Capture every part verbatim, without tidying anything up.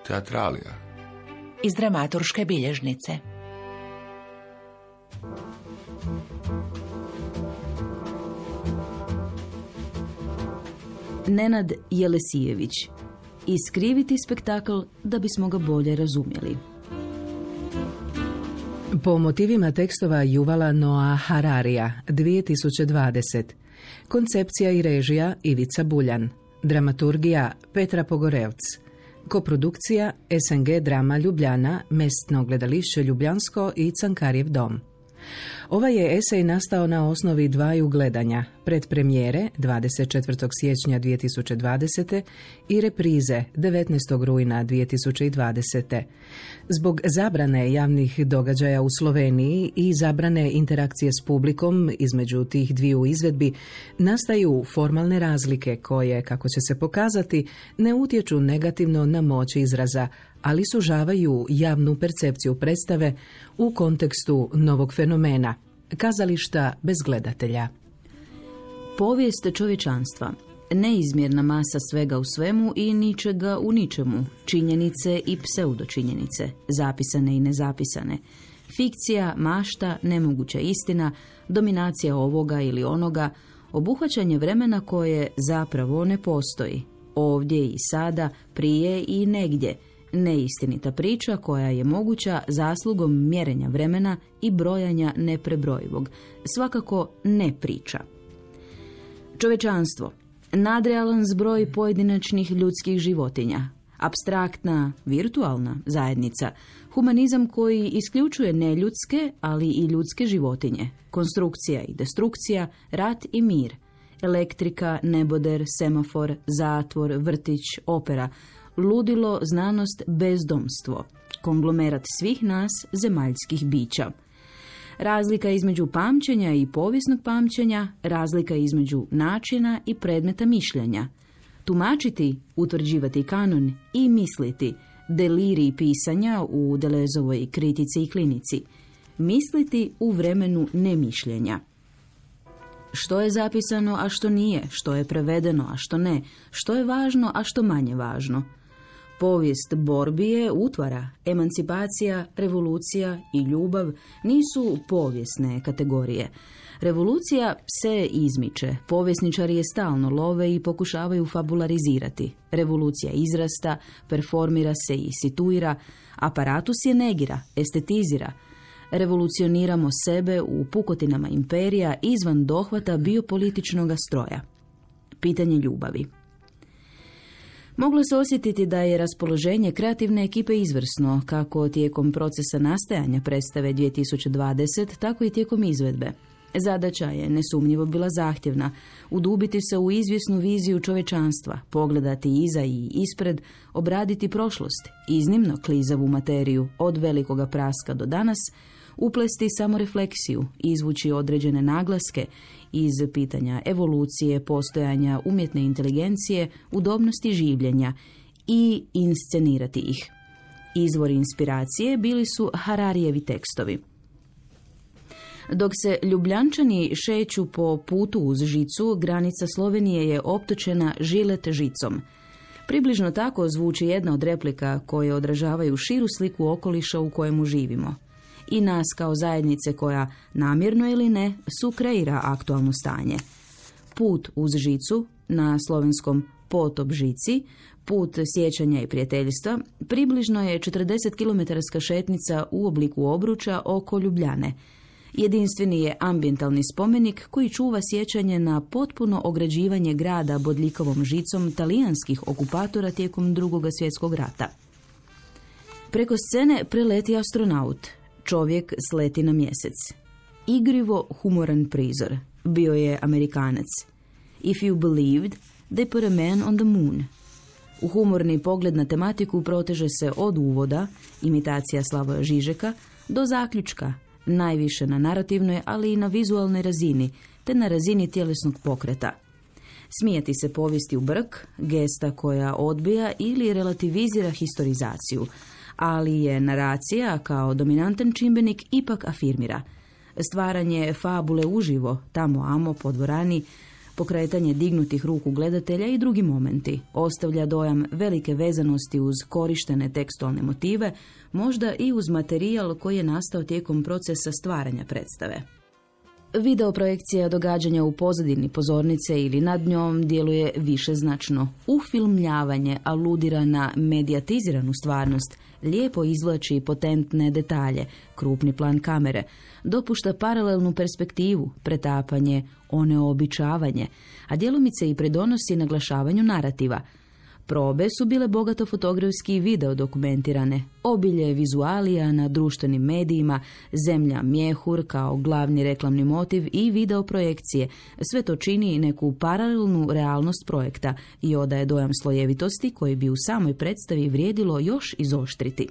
teatralija. Iz dramaturške bilježnice. Nenad Jelesijević. Iskriviti spektakl da bismo ga bolje razumjeli. Po motivima tekstova Yuvala Noah Hararija, dvije tisuće dvadeset. Koncepcija i režija Ivica Buljan. Dramaturgija Petra Pogorevc. Koprodukcija S N G Drama Ljubljana, Mestno gledališće Ljubljansko i Cankarjev dom. Ovaj je esej nastao na osnovi dvaju gledanja, predpremijere dvadeset četvrtog siječnja dvije tisuće dvadesete. i reprize devetnaestog rujna dvije tisuće dvadesete. Zbog zabrane javnih događaja u Sloveniji i zabrane interakcije s publikom između tih dviju izvedbi, nastaju formalne razlike koje, kako će se pokazati, ne utječu negativno na moć izraza, ali sužavaju javnu percepciju predstave u kontekstu novog fenomena, kazališta bez gledatelja. Povijest čovječanstva. Neizmjerna masa svega u svemu i ničega u ničemu. Činjenice i pseudočinjenice. Zapisane i nezapisane. Fikcija, mašta, nemoguća istina, dominacija ovoga ili onoga, obuhvaćanje vremena koje zapravo ne postoji. Ovdje i sada, prije i negdje. Neistinita priča koja je moguća zaslugom mjerenja vremena i brojanja neprebrojivog. Svakako ne priča. Čovečanstvo. Nadrealan zbroj pojedinačnih ljudskih životinja. Apstraktna, virtualna zajednica. Humanizam koji isključuje neljudske, ali i ljudske životinje. Konstrukcija i destrukcija, rat i mir. Elektrika, neboder, semafor, zatvor, vrtić, opera. Ludilo, znanost, bezdomstvo. Konglomerat svih nas, zemaljskih bića. Razlika između pamćenja i povijesnog pamćenja, razlika između načina i predmeta mišljenja. Tumačiti, utvrđivati kanon i misliti, delirij pisanja u Delezovoj kritici i klinici. Misliti u vremenu nemišljenja. Što je zapisano, a što nije, što je prevedeno, a što ne, što je važno, a što manje važno. Povijest borbi je utvara, emancipacija, revolucija i ljubav nisu povijesne kategorije. Revolucija se izmiče, povjesničari je stalno love i pokušavaju fabularizirati. Revolucija izrasta, performira se i situira, aparatus je negira, estetizira. Revolucioniramo sebe u pukotinama imperija izvan dohvata biopolitičnog stroja. Pitanje ljubavi. Moglo se osjetiti da je raspoloženje kreativne ekipe izvrsno, kako tijekom procesa nastajanja predstave dvije tisuće dvadesete, tako i tijekom izvedbe. Zadaća je nesumnjivo bila zahtjevna, udubiti se u izvjesnu viziju čovječanstva, pogledati iza i ispred, obraditi prošlost, iznimno klizavu materiju od velikoga praska do danas, uplesti samorefleksiju, izvući određene naglaske iz pitanja evolucije, postojanja umjetne inteligencije, udobnosti življenja i inscenirati ih. Izvori inspiracije bili su Hararijevi tekstovi. Dok se Ljubljančani šeću po putu uz žicu, granica Slovenije je optočena žilet žicom. Približno tako zvuči jedna od replika koje odražavaju širu sliku okoliša u kojemu živimo. I nas kao zajednice koja, namjerno ili ne, sukreira aktualno stanje. Put uz žicu, na slovenskom potop žici, put sjećanja i prijateljstva, približno je četrdesetkilometarska šetnica u obliku obruča oko Ljubljane. Jedinstveni je ambientalni spomenik koji čuva sjećanje na potpuno ograđivanje grada bodljikovom žicom talijanskih okupatora tijekom Drugog svjetskog rata. Preko scene preleti astronaut. Čovjek sleti na mjesec. Igrivo humoran prizor. Bio je Amerikanac. If you believed, they put a man on the moon. U humorni pogled na tematiku proteže se od uvoda, imitacija Slavoja Žižeka, do zaključka, najviše na narativnoj, ali i na vizualnoj razini, te na razini tjelesnog pokreta. Smijati se povijesti u brk, gesta koja odbija ili relativizira historizaciju, ali je naracija kao dominantan čimbenik ipak afirmira. Stvaranje fabule uživo, tamo amo po dvorani, pokretanje dignutih ruku gledatelja i drugi momenti. Ostavlja dojam velike vezanosti uz korištene tekstualne motive, možda i uz materijal koji je nastao tijekom procesa stvaranja predstave. Videoprojekcija događanja u pozadini pozornice ili nad njom djeluje višeznačno. Ufilmljavanje aludira na medijatiziranu stvarnost, lijepo izvlači potentne detalje, krupni plan kamere, dopušta paralelnu perspektivu, pretapanje, oneobičavanje, a djelomice i pridonosi naglašavanju narativa. Probe su bile bogato fotografski i video dokumentirane, obilje vizualija na društvenim medijima, zemlja mjehur kao glavni reklamni motiv i video projekcije. Sve to čini neku paralelnu realnost projekta i odaje dojam slojevitosti koji bi u samoj predstavi vrijedilo još izoštriti.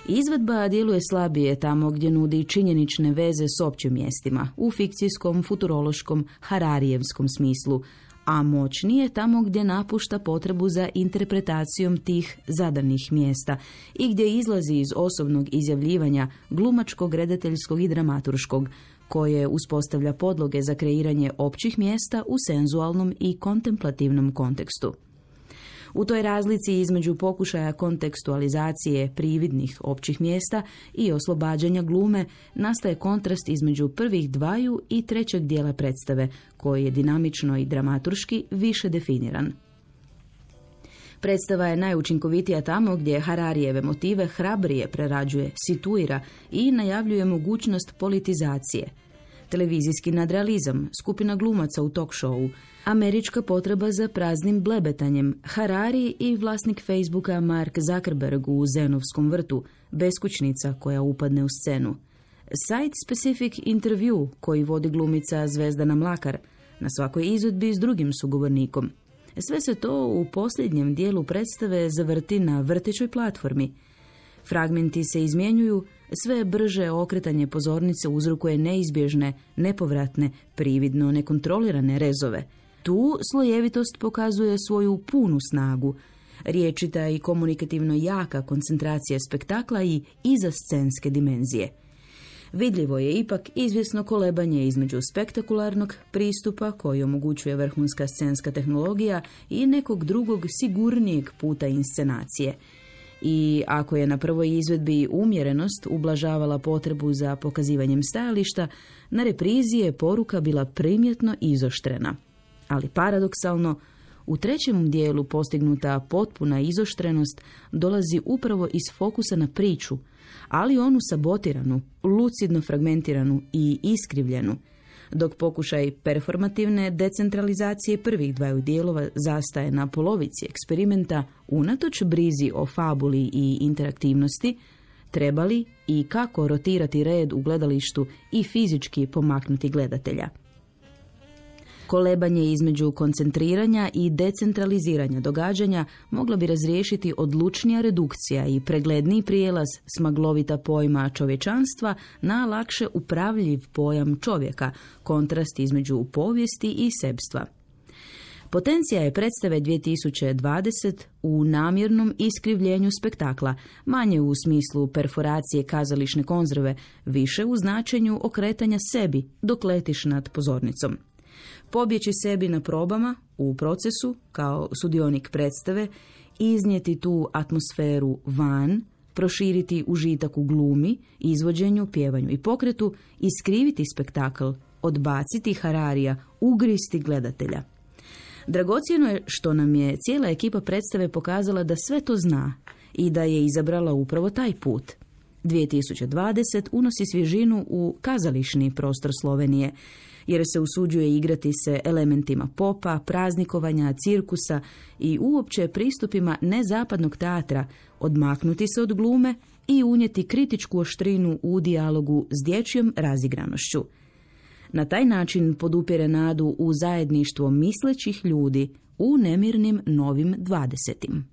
Izvedba djeluje slabije tamo gdje nudi činjenične veze s općim mjestima, u fikcijskom, futurološkom, hararijevskom smislu, a moćnije tamo gdje napušta potrebu za interpretacijom tih zadanih mjesta i gdje izlazi iz osobnog izjavljivanja glumačkog, redateljskog i dramaturškog, koje uspostavlja podloge za kreiranje općih mjesta u senzualnom i kontemplativnom kontekstu. U toj razlici između pokušaja kontekstualizacije prividnih općih mjesta i oslobađanja glume nastaje kontrast između prvih dvaju i trećeg dijela predstave, koji je dinamično i dramaturški više definiran. Predstava je najučinkovitija tamo gdje Hararijeve motive hrabrije prerađuje, situira i najavljuje mogućnost politizacije. Televizijski nadrealizam, skupina glumaca u talk showu, američka potreba za praznim blebetanjem, Harari i vlasnik Facebooka Mark Zuckerberg u Zenovskom vrtu, beskućnica koja upadne u scenu, site-specific intervju koji vodi glumica Zvezdana Mlakar, na svakoj izvedbi s drugim sugovornikom. Sve se to u posljednjem dijelu predstave zavrti na vrtećoj platformi. Fragmenti se izmjenjuju, sve brže okretanje pozornice uzrokuje neizbježne, nepovratne, prividno nekontrolirane rezove. Tu slojevitost pokazuje svoju punu snagu. Riječita i komunikativno jaka koncentracija spektakla i izascenske dimenzije. Vidljivo je ipak izvjesno kolebanje između spektakularnog pristupa koji omogućuje vrhunska scenska tehnologija i nekog drugog sigurnijeg puta inscenacije. I ako je na prvoj izvedbi umjerenost ublažavala potrebu za pokazivanjem stajališta, na reprizi je poruka bila primjetno izoštrena. Ali paradoksalno, u trećem dijelu postignuta potpuna izoštrenost dolazi upravo iz fokusa na priču, ali onu sabotiranu, lucidno fragmentiranu i iskrivljenu, dok pokušaj performativne decentralizacije prvih dvaju dijelova zastaje na polovici eksperimenta, unatoč brizi o fabuli i interaktivnosti, trebali i kako rotirati red u gledalištu i fizički pomaknuti gledatelja. Kolebanje između koncentriranja i decentraliziranja događanja mogla bi razriješiti odlučnija redukcija i pregledniji prijelaz s maglovita pojma čovječanstva na lakše upravljiv pojam čovjeka, kontrast između povijesti i sebstva. Potencija je predstave dvije tisuće dvadeset u namjernom iskrivljenju spektakla, manje u smislu perforacije kazališne konzerve, više u značenju okretanja sebi dok letiš nad pozornicom. Pobjeći sebi na probama, u procesu, kao sudionik predstave, iznijeti tu atmosferu van, proširiti užitak u glumi, izvođenju, pjevanju i pokretu, iskriviti spektakl, odbaciti Hararija, ugristi gledatelja. Dragocjeno je što nam je cijela ekipa predstave pokazala da sve to zna i da je izabrala upravo taj put. dvije tisuće dvadeset unosi svježinu u kazališni prostor Slovenije, jer se usuđuje igrati se elementima popa, praznikovanja, cirkusa i uopće pristupima nezapadnog teatra, odmaknuti se od glume i unijeti kritičku oštrinu u dijalogu s dječjom razigranošću. Na taj način podupire nadu u zajedništvo mislećih ljudi u nemirnim novim dvadesetim.